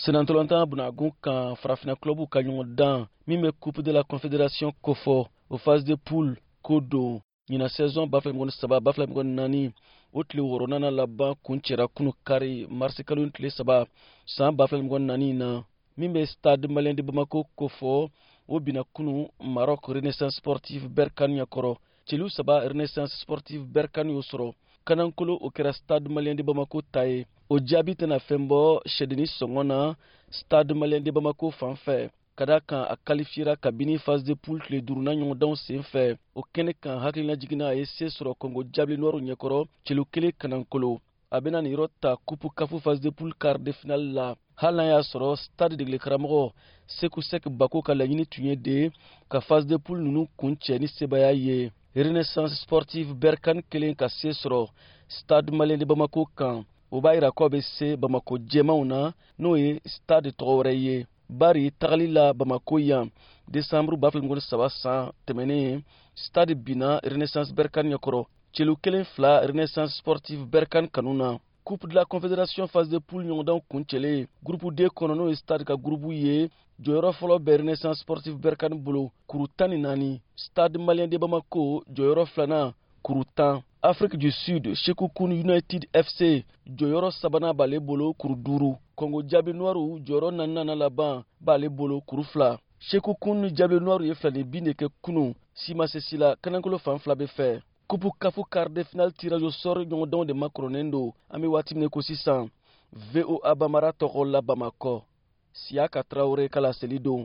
Senantolantan bunagun kan, farafinna clubw ka ɲɔgɔndan min bɛ Coupe de la Confédération kofɔ, o phase de poule ko don. Ɲinan saison 2023 2024, o tile wɔɔrɔnan laban kuncɛra kunu kari, marisikalo tile 3, san 2024 na. Min bɛ Stade Malien de Bamako kofɔ, o binna kunu Maroc Renaissance Sportive Berkane ɲɛkɔrɔ, celu 3. Renaissance Sportive Berkane y'o sɔrɔ. Kanankolo, o kɛra Stade Malien de Bamako ta ye. O jaabi tɛna fɛn bɔ sɛdenni sɔngɔ na Stade Malien de Bamako fan fɛ, ka da kan a kalifiyera kabini phase de poule tile duurunan ɲɔgɔndanw sen fɛ. O kɛnɛ kan, hakilina jiginna, a ye se sɔrɔ Kongo Diables Noirs ɲɛkɔrɔ, celu 1 kanankolo. A bɛna nin yɔrɔ ta Coupe CAF phase de poule quart de finale la, hali n'a y'a sɔrɔ Stade degeli karamɔgɔ Seku Sek Bako ka laɲini tun ye de ka phase de poule ninnu kuncɛ ni sebaya ye. Renaissance Sportive Berkane kelen ka se sɔrɔ Stade Malien de Bamako kan, o b'a yira k'aw bɛ se Bamako jɛmanw na, n'o ye Stade tɔgɔ wɛrɛ ye. Bari tagali la Bamako yan desanburu 2023 san tɛmɛnen, Stade binna Renaissance Berkane ɲɛkɔrɔ, celu 1 2, Renaissance Sportive Berkane kanu na. Coupe de la Confédération phase de poule ɲɔgɔndanw kuncɛlen, groupe D kɔnɔ, n'o ye Stade ka groupe ye, jɔyɔrɔ fɔlɔ bɛ Renaissance Sportive Berkane bolo, kuru 14. Stade Malien de Bamako, jɔyɔrɔ filanan, kuru 10. Afrique du Sud Sekhukhune United FC, jɔyɔrɔ sabanan b'ale bolo, kuru 5. Congo Diables Noirs, jɔyɔrɔ naaninan laban b'ale bolo, kuru 2. Sekhukhune Diables Noirs ye filani bin de kɛ kunu. Si ma se si la, kanankolo fan fila bɛ fɛ. Coupe CAF quart de finale tirage au sort ɲɔgɔndanw de makɔrɔnen don an bɛ waati min ko sisan. VOA Bamara tɔgɔ la Bamakɔ, Siyaka Tarawele ka laseli don.